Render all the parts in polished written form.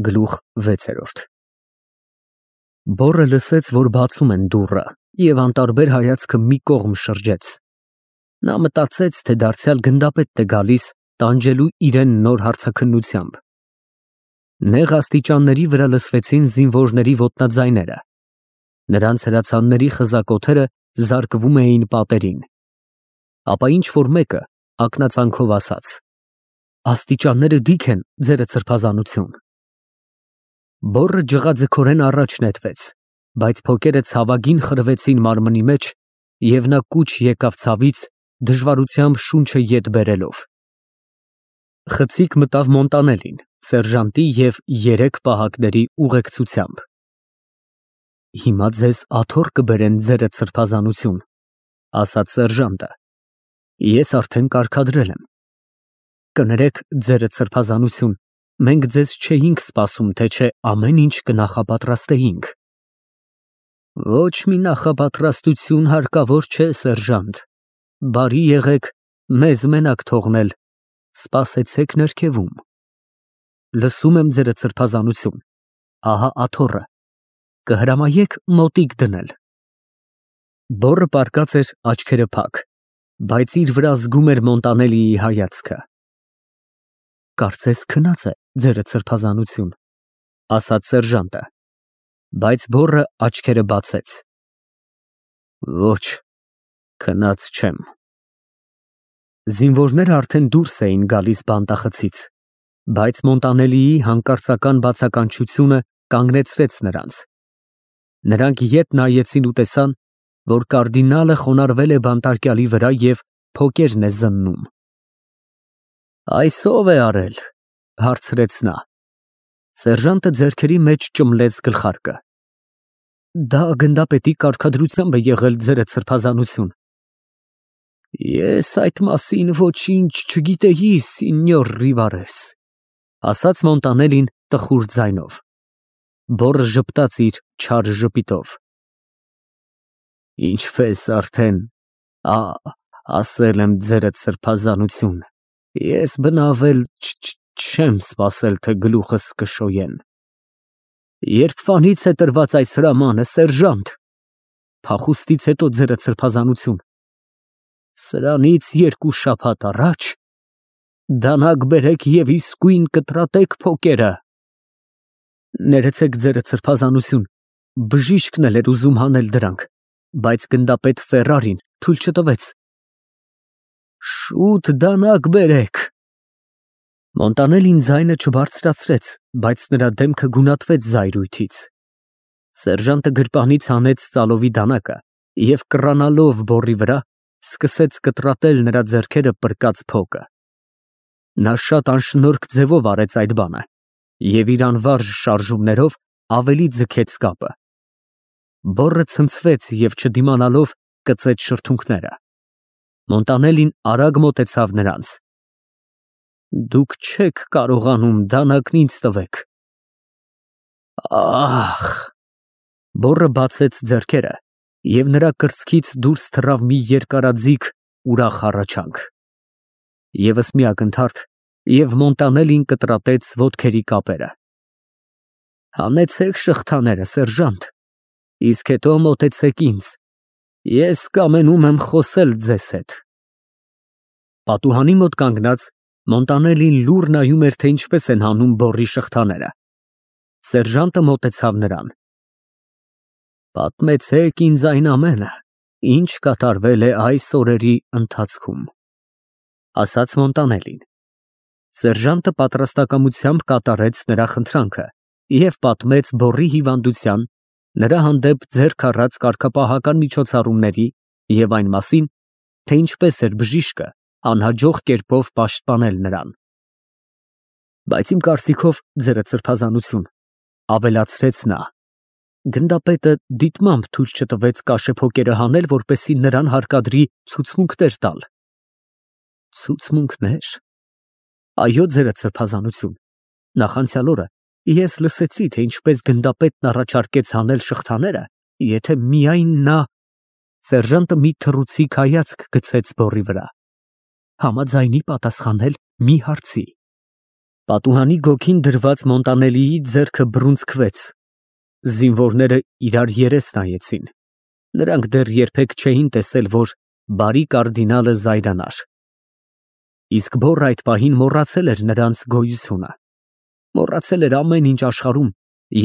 Գլուխ 6 Բոռը լսեց, որ բացում են դուռը, և անտարբեր հայացքը մի կողմ շրջեց. նա մտածեց, թե դարձյալ գնդապետն է գալիս տանջելու իրեն նոր հարցաքննությամբ։ Նեղ աստիճանների վրա լսվեցին զինվորների ոտնաձայները, նրանց հրացանների խզակոթերը զարկվում էին պատերին, ապա ինչ-որ մեկը ակնածանքով ասաց. աստիճանները դիք են, ձերը սրբազանություն։ Բոռը ջղաձգորեն առաջ նետվեց, բայց փոկերը ցավագին խրվեցին մարմնի մեջ, և նա կուչ եկավ ցավից, դժվարությամբ շունչը ետ բերելով։ Խցիկ մտավ Մոնտանելին, սերժանտի և 3 պահակների ուղեկցությամբ։ Հիմա ձեզ աթոռ կբերեն, ձերդ սրբազանություն, ասաց սերժանտը, ես արդեն կարգադրել եմ։ Կներեք, ձերդ սրբազանություն, մենք ձեզ չէինք սպասում, թե չէ ամեն ինչ կնախապատրաստեինք։ Ոչ մի նախապատրաստություն հարկավոր չէ, սերժանտ, բարի եղեք մեզ մենակ թողնել, սպասեցեք ներքևում։ Լսում եմ, ձերդ սրբազանություն, ահա աթոռը, կհրամայեք մոտիկ դնել։ Բոռը պառկած էր աչքերը փակ, բայց իր վրա զգում էր Մոնտանելիի հայացքը։ Կարծես քնած է, ձերդ սրբազանություն, ասաց սերժանտը, բայց բոռը աչքերը բացեց։ Ոչ, քնած չեմ։ Զինվորները արդեն դուրս էին գալիս բանտախցից, բայց Մոնտանելիի հանկարծական բացականչությունը կանգնեցրեց նրանց։ Նրանք ետ նայեցին ու տեսան, որ կարդինալը խոնարհվել է բանտարկյալի վրա և փոկերն է զննում։ Այս ո՞վ է արել, հարցրեց նա։ Սերժանտը ձեռքերի մեջ ճմլեց գլխարկը։ Դա գնդապետի կարգադրությամբ է եղել, ձերդ սրբազանություն։ Ես այդ մասին ոչինչ չգիտեի, սինյոր Ռիվարես, ասաց Մոնտանելին տխուր ձայնով։ Բոռը ժպտաց իր չար ժպիտով։ Ինչպես արդեն ասել եմ, ձերդ սրբազանություն, ես բնավել չեմ սպասել, թե գլուխս կշոյեն։ Երբվանից է տրված այս հրամանը, սերժանտ, փախուստից հետո, ձերդ սրբազանություն, սրանից 2 շաբաթ առաջ, դանակ բերեք և իսկույն կտրատեք փոկերը։ Ներեցեք, ձերդ սրբազանություն, բժիշկն էլ էր ուզում հանել դրանք, բայց գնդապետ Ֆերրարին թույլ չտվեց։ Շուտ դանակ բերեք։ Մոնտանելին ձայնը չբարձրացրեց, բայց նրա դեմքը գունատվեց զայրույթից։ Սերժանտը գրպանից հանեց ծալովի դանակը և կռանալով բոռի վրա, սկսեց կտրատել նրա ձեռքերը պրկած փոկը։ Նա շատ անշնորհք ձևով արեց այդ բանը և իր անվարժ շարժումներով ավելի ձգեց կապը։ Բոռը ցնցվեց և չդիմանալով կծեց շրթունքները։ Մոնտանելին արագ մոտեցավ նրանց։ Դուք չեք կարողանում, դանակն ինձ տվեք։ Ահ։ Բոռը բացեց ձեռքերը, և նրա կրծքից դուրս թռավ մի երկարաձիգ ուրախ հառաչանք։ Եվս մի ակնթարթ, և Մոնտանելին կտրատեց ոտքերի կապերը։ Հանեցեք շղթաները, սերժանտ, իսկ հետո մոտեցեք ինձ, ես կամենում եմ խոսել ձեզ հետ։ Պատուհանի մոտ կանգնած Մոնտանելին լուռ նայում էր, թե ինչպես են հանում բոռի շղթաները։ Սերժանտը մոտեցավ նրան։ Պատմեցեք ինձ այն ամենը, ինչ կատարվել է այս օրերի ընթացքում, ասաց Մոնտանելին։ Սերժանտը պատրաստակամությամբ կատարեց նրա խնդրանքը և պատմեց բոռի հիվանդության, նրա հանդեպ ձեռք առած կարգապահական միջոցառումների և այն մասին, թե ինչպես էր բժիշկը անհաջող կերպով պաշտպանել նրան։ Բայց իմ կարծիքով, ձերդ սրբազանություն, ավելացրեց նա, գնդապետը դիտմամբ թույլ չտվեց կաշեփոկերը հանել, որպեսզի նրան հարկադրի ցուցմունքներ տալ։ Ցուցմունքնե՞ր։ Այո, ձերդ սրբազանություն, նախանցյալ օրը ես լսեցի, թե ինչպես գնդապետն առաջարկեց հանել շղթաները, եթե միայն նա… Սերժանտը մի թռուցիկ հայացք գցեց բոռի վրա։ Համաձայնի պատասխանել մի հարցի։ Պատուհանի գոգին դրված Մոնտանելիի ձեռքը բռունցքվեց։ Զինվորները իրար երես նայեցին։ Նրանք դեռ երբեք չէին տեսել, որ բարի կարդինալը զայրանար։ Իսկ բոռը այդ պահին մոռացել էր նրանց գոյությունը։ Մոռացել էր ամեն ինչ աշխարհում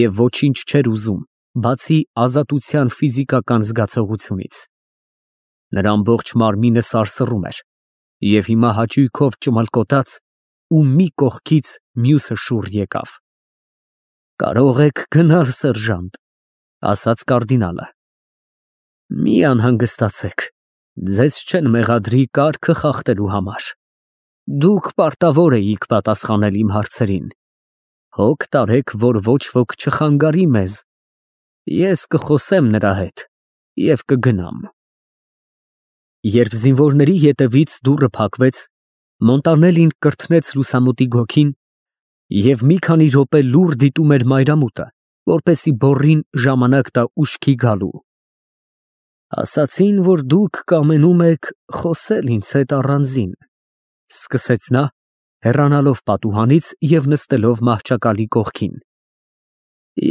և ոչինչ չէր ուզում, բացի ազատության ֆիզիկական զգացողությունից։ Նրա ամբողջ մարմինը սարսռում էր, և հիմա հաճույքով ճմլկոտաց ու մի կողքից մյուսը շուռ եկավ։ «Կարող եք գնալ, սերժանտ», ասաց կարդինալը։ «Մի անհանգստացեք, ձեզ չեն մեղադրի կարգը խախտելու համար։ Դուք պարտավոր էիք պատասխանել իմ հարցերին։ Հոգ տարեք, որ ոչ ոք չխանգարի մեզ։ Ես կխոսեմ նրա հետ և կգնամ»։ Երբ զինվորների ետևից դուռը փակվեց, Մոնտանելին կրթնեց լուսամուտի գոգին և մի քանի րոպե լուռ դիտում էր մայրամուտը, որպեսզի բոռին ժամանակ տա ուշքի գալու։ «Ասացին, որ դուք կամենում եք խոսել ինձ հետ առանձին», սկսեց նա, հեռանալով պատուհանից և նստելով մահճակալի կողքին։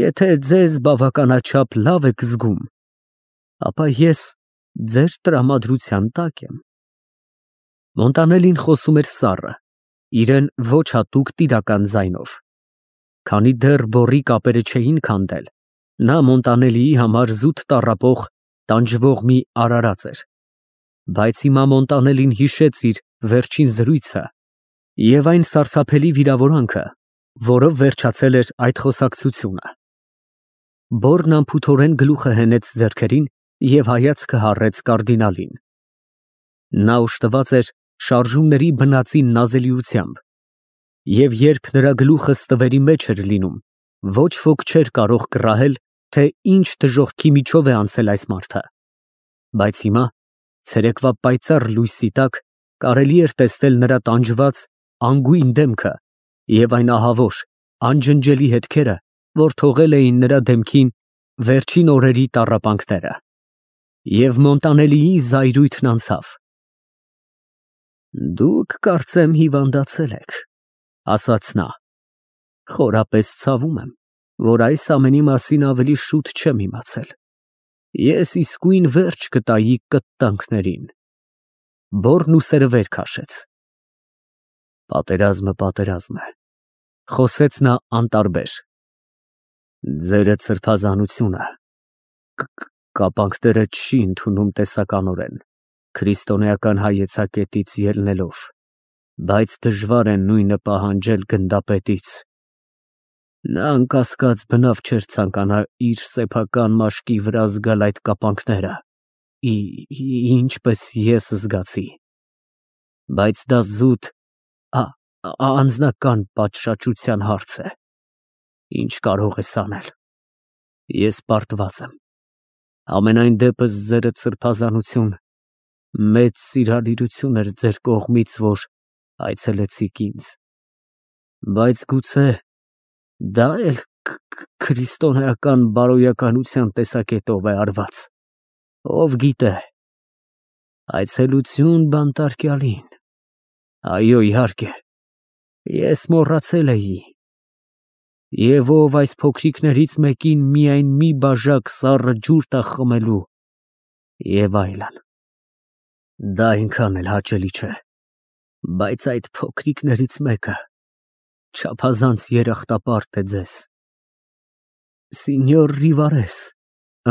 «Եթե ձեզ բավականաչափ լավ եք զգում, ապա ես ձեր տրամադրության տակ եմ»։ Մոնտանելին խոսում էր սառը, իրեն ոչ հատուկ տիրական ձայնով։ Քանի դեռ բոռի կապերը չէին քանդել, նա Մոնտանելիի համար զուտ տառապող, տանջվող մի արարած էր։ Բայց հիմա Մոնտանելին հիշեց իր վերջին զրույցը և այն սարսափելի վիրավորանքը, որով վերջացել էր այդ խոսակցությունը։ Բոռն անփութորեն գլուխը հենեց ձեռքերին և հայացքը հառեց կարդինալին։ Նա օժտված էր շարժումների բնածին նազելիությամբ, և երբ նրա գլուխը ստվերի մեջ էր լինում, ոչ ոք չէր կարող կռահել, թե ինչ դժոխքի միջով է անցել այս մարդը։ Բայց հիմա, ցերեկվա պայծառ լույսի տակ, կարելի էր տեսնել նրա տանջված, անգույն դեմքը և այն ահավոր, անջնջելի հետքերը, որ թողել էին նրա դեմքին վերջին օրերի տառապանքները։ Եվ Մոնտանելիի զայրույթն անցավ։ «Դուք, կարծեմ, հիվանդացել եք», ասաց նա։ «Խորապես ցավում եմ, որ այս ամենի մասին ավելի շուտ չեմ իմացել։ Ես իսկույն վերջ կտայի կտտանքներին»։ Բոռն ուսերը վեր քաշեց։ Պատերազմ է, խոսեց նա անտարբեր։ Ձերը սրբազանությունը կապանքները չի ընդունում տեսականորեն, քրիստոնեական հայեցակետից ելնելով, բայց դժվար է նույնը պահանջել գնդապետից։ Նա անկասկած բնավ չէր ցանկանա իր սեփական մաշկի վրա զգալ այդ կապանքները, ինչպես ես զգացի։ Բայց դա զուտ անձնական պատշաճության հարց է։ Ինչ կարող ես անել։ Ես պարտված եմ։ Համենայն դեպս ձերը սրբազանություն մեծ սիրալիրություն էր ձեր կողմից, որ այցելեցիք ինձ։ Բայց գուցե դա էլ քրիստոնեական բարոյականության տեսակետով է արված։ Ով գիտե։ Այցելություն բանտարկյալին։ Այո, իհարկե, ես մոռացել էի։ Եվ ով այս փոքրիկներից մեկին միայն մի բաժակ սառը ջուր տա խմելու, և այլն։ Դա այնքան էլ հաճելի չէ, բայց այդ փոքրիկներից մեկը չափազանց երախտապարտ է ձեզ։ Սինյոր Ռիվարես,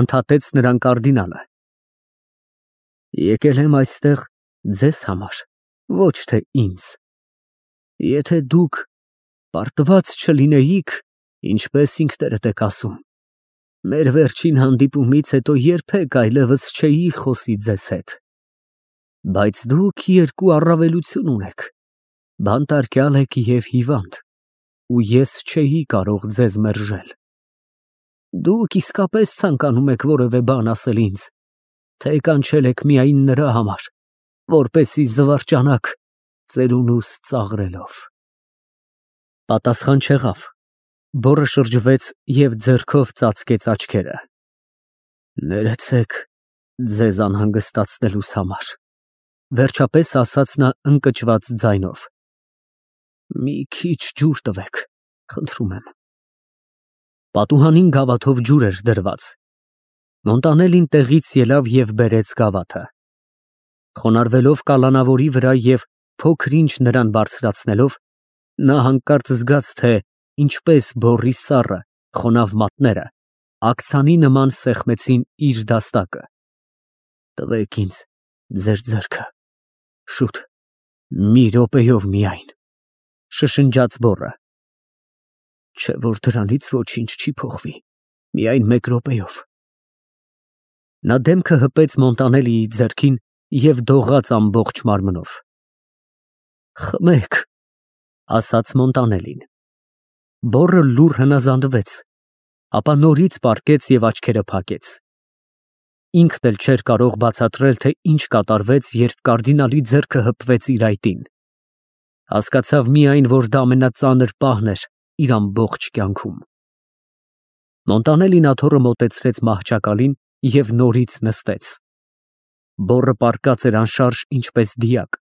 ընդհատեց նրան կարդինալը, եկել եմ այստեղ ձեզ համար, ոչ թե ինձ։ Եթե դուք պարտված չլինեիք, ինչպես ինքներդ եք ասում, մեր վերջին հանդիպումից հետո երբեք այլևս չէի խոսի ձեզ հետ։ Բայց դուք երկու առավելություն ունեք. բանտարկյալ եք և հիվանդ, ու ես չէի կարող ձեզ մերժել։ Դուք իսկապես ցանկանում եք որևէ բան ասել ինձ, թե կանչել եք միայն նրա համար, որպեսզի զվարճանաք ծերունուս ծաղրելով։ Պատասխան չեղավ։ Բոռը շրջվեց և ձեռքով ծածկեց աչքերը։ Ներեցեք ձեզ անհանգստացնելուս համար, վերջապես ասաց նա ընկճված ձայնով։ Մի քիչ ջուր տվեք, խնդրում եմ։ Պատուհանին գավաթով ջուր էր դրված։ Մոնտանելին տեղից ելավ և բերեց գավաթը։ Խոնարհվելով կալանավորի վրա և փոքր ինչ նրան բարձրացնելով, նա հանկարծ զգաց, թե ինչպես բոռի սառը, խոնավ մատները աքցանի նման սեղմեցին իր դաստակը։ Տվեք ինձ ձեր ձեռքը, շուտ, մի րոպեով միայն, շշնջաց բոռը։ Չէ որ դրանից ոչինչ չի փոխվի, միայն մեկ րոպեով։ Նա դեմքը հպեց Մոնտանելիի ձեռքին և դողաց ամբողջ մարմնով։ Խմեք, ասաց Մոնտանելին։ Բոռը լուռ հնազանդվեց, ապա նորից պառկեց և աչքերը փակեց։ Ինքն էլ չէր կարող բացատրել, թե ինչ կատարվեց, երբ կարդինալի ձեռքը հպվեց իր այտին։ Հասկացավ միայն, որ դա ամենածանր պահն էր իր ամբողջ կյանքում։ Մոնտանելին աթոռը մոտեցրեց մահճակալին և նորից նստեց։ Բոռը պառկած էր անշարժ ինչպես դիակ,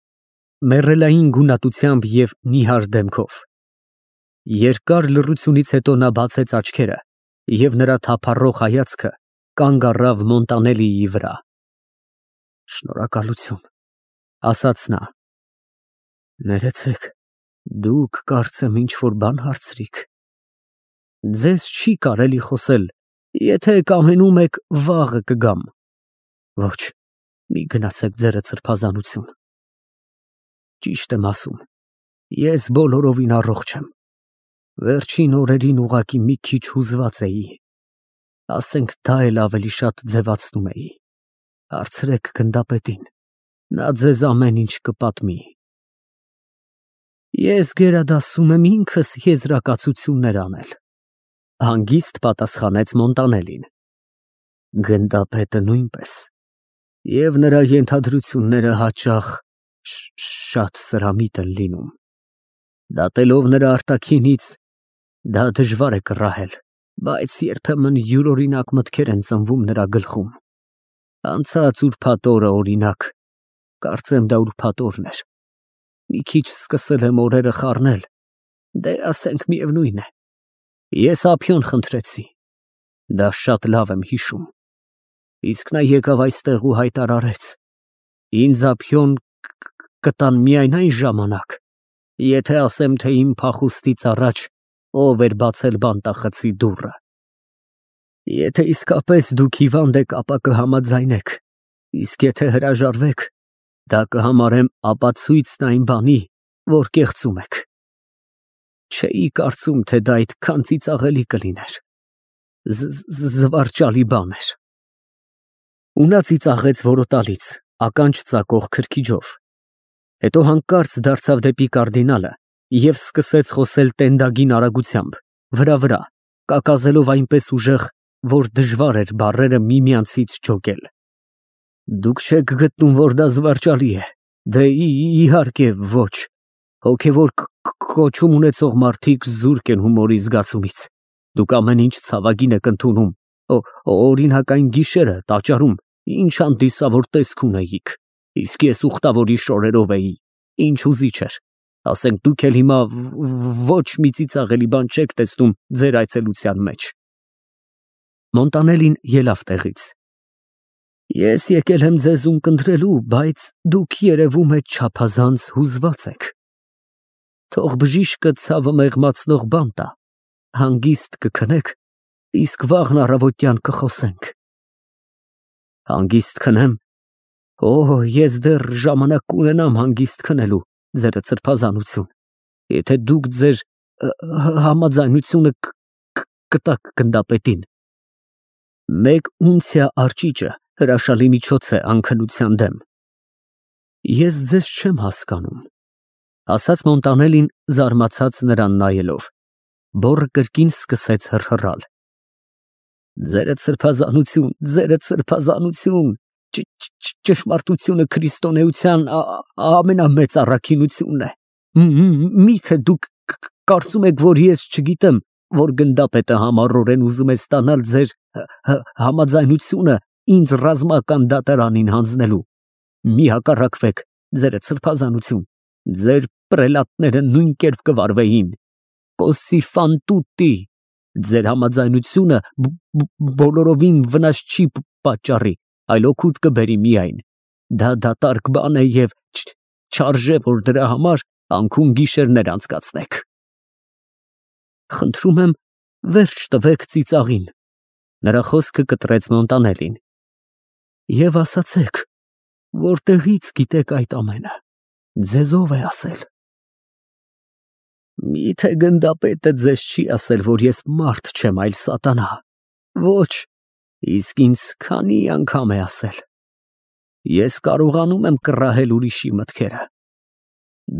մեռելային գունատությամբ և նիհար դեմքով։ Երկար լռությունից հետո նա բացեց աչքերը, և նրա թափառող հայացքը կանգ առավ Մոնտանելիի վրա։ Շնորհակալություն, ասաց նա։ Ներեցեք, դուք կարծեմ ինչ-որ բան հարցրիք։ Ձեզ չի կարելի խոսել, եթե կամենում եք վաղը կգամ։ Ոչ, մի գնացեք ձերդ սրբազանություն։ Ճիշտ եմ ասում, ես բոլորովին առողջ եմ։ Վերջին օրերին ուղղակի մի քիչ հուզված էի։ Ասենք դա էլ ավելի շատ ձևացնում էի։ Հարցրեք գնդապետին, նա ձեզ ամեն ինչ կպատմի։ Ես գերադասում եմ ինքս եզրակացություններ անել, հանգիստ պատասխանեց Մոնտանելին։ Գնդապետը նույնպես, և նրա ենթադրությունները հաճախ շատ սրամիտ են լինում։ Դատելով նրա արտաքինից, դա դժվար է կռահել, բայց երբեմն յուրօրինակ մտքեր են ծնվում նրա գլխում։ Անցած ուրբաթ օրը, օրինակ, կարծեմ դա ուրբաթ օրն էր, մի քիչ սկսել եմ օրերը խառնել, դե ասենք միևնույն է, ես ափիոն խնդրեցի, դա շատ լավ եմ հիշում, իսկ նա եկավ այստեղ ու հայտարարեց, ինձ ափիոն կտան միայն այն ժամանակ, եթե ասեմ, թե իմ փախուստից առաջ ով էր բացել բանտախցի դուռը։ Եթե իսկապես դուք հիվանդ եք, ապա կհամաձայնեք, իսկ եթե հրաժարվեք, դա կհամարեմ ապացույցն այն բանի, որ կեղծում եք։ Չէի կարծում, թե դա այդքան ծիծաղելի կլիներ։ Զվարճալի բան էր։ Ու նա ծիծաղեց որոտալից, ականջ ծակող քրքիջով։ Հետո հանկարծ դարձավ դեպի կարդինալը և սկսեց խոսել տենդագին արագությամբ, վրա, կակազելով այնպես ուժեղ, որ դժվար էր բառերը միմյանցից ջոկել։ Դուք չեք գտնում, որ դա զվարճալի է։ Դե իհարկե ոչ։ Հոգևոր կոչում ունեցող մարդիկ զուրկ են հումորի զգացումից։ Դուք ամեն ինչ ցավագին եք ընդունում։ Օրինակ այն գիշերը տաճարում ինչ հանդիսավոր տեսք ունեիք, իսկ ես ուխտավորի շորերով էի, ինչ հուզիչ էր։ Ասենք դուք էլ հիմա ոչ մի ծիծաղելի բան չեք տեսնում ձեր այցելության մեջ։ Մոնտանելին ելավ տեղից։ Ես եկել եմ ձեզ ունկնդրելու, բայց դուք երևում է չափազանց հուզված եք։ Թող բժիշկը ցավը մեղմացնող բան տա, հանգիստ կքնեք, իսկ վաղն առավոտյան կխոսենք։ Հանգիստ քնեմ։ Օ, ես դեռ ժամանակ կունենամ հանգիստ քնելու, ձերդ սրբազանություն, եթե դուք ձեր համաձայնությունը կտաք գնդապետին։ Մեկ ունցիա արճիճը հրաշալի միջոց է անքնության դեմ։ Ես ձեզ չեմ հասկանում, ասաց Մոնտանելին զարմացած նրան նայելով։ Բոռը կրկին սկսեց հռհռալ։ Ձերդ սրբազանություն, ճշմարտությունը քրիստոնեության ամենամեծ առաքինությունն է։ Միթե դուք կարծում եք, որ ես չգիտեմ, որ գնդապետը համառորեն ուզում է ստանալ ձեր համաձայնությունը ինձ ռազմական դատարանին հանձնելու։ Մի հակառակվեք, ձերդ սրբազանություն, Ձեր պրելատները նույն կերպ կվարվեին։ Կոսի ֆան տուտի։ Ձեր համաձայնությունը բոլորովին վնաս չի պատճառի, այլ օգուտ կբերի միայն։ Դա դատարկ բան է և չարժե, որ դրա համար անքուն գիշերներ անցկացնեք։ Խնդրում եմ, վերջ տվեք ծիծաղին։ Նրա խոսքը կտրեց Մոնտանելին։ Եվ ասացեք, որտեղից գիտեք այդ ամենը, ձեզ ով է ասել։ Միթե գնդապետը ձեզ չի ասել, որ ես մարդ չեմ, այլ սատանա։ Ոչ, իսկ ինձ քանի անգամ է ասել։ Ես կարողանում եմ կռահել ուրիշի մտքերը։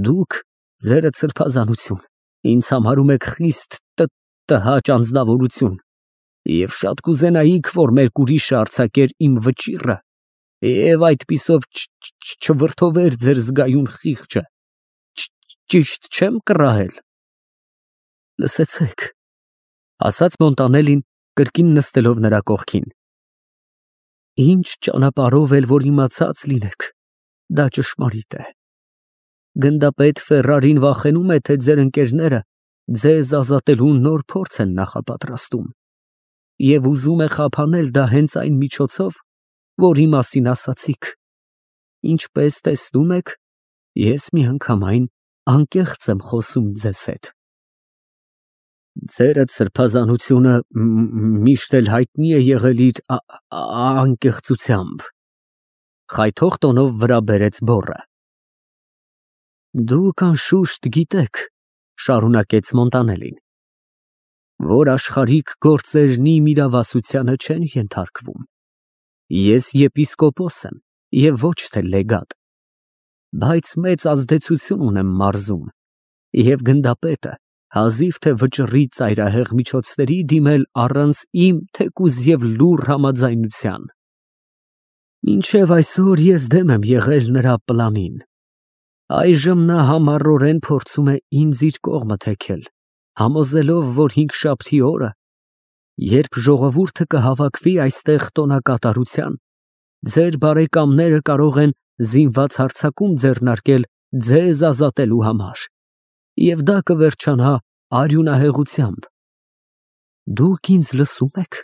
Դուք ձերդ սրբազանություն ինձ համարում եք խիստ տհաճ անձնավորություն և շատ կուզենայիք, որ մեկ ուրիշը արձակեր իմ վճիռը և այդպիսով չվրդովեր ձեր զգայուն խիղճը։ Ճիշտ չեմ կռահել։ Լսեցեք, ասաց Մոնտանելին, կրկին նստելով նրա կողքին։ Ինչ ճանապարհով էլ որ իմացած լինեք, դա ճշմարիտ է։ Գնդապետ Ֆերրարին վախենում է, թե ձեր ընկերները ձեզ ազատելու նոր փորձ են նախապատրաստում և ուզում է խափանել դա հենց այն միջոցով, որի մասին ասացիք։ Ինչպես տեսնում եք, ես միանգամայն անկեղծ եմ խոսում ձեզ հետ։ Ձերդ սրբազանությունը միշտ էլ հայտնի է եղել իր անկեղծությամբ, խայթող տոնով վրա բերեց բոռը։ Դուք անշուշտ գիտեք, շարունակեց Մոնտանելին, որ աշխարհիկ գործերն իմ իրավասությանը չեն ենթարկվում։ Ես եպիսկոպոս եմ և ոչ թե լեգատ, բայց մեծ ազդեցություն ունեմ մարզում, և գնդապետը հազիվ թե վճռի ծայրահեղ միջոցների դիմել առանց իմ թեկուզ և լուռ համաձայնության։ Մինչև այսօր ես դեմ եմ եղել նրա պլանին։ Այժմ նա համառորեն փորձում է ինձ իր կողմը թեքել, համոզելով, որ հինգշաբթի օրը, երբ ժողովուրդը կհավաքվի այստեղ տոնակատարության, ձեր բարեկամները կարող են զինված հարձակում ձեռնարկել ձեզ ազատելու համար, և դա կվերջանա արյունահեղությամբ։ Դուք ինձ լսո՞ւմ եք։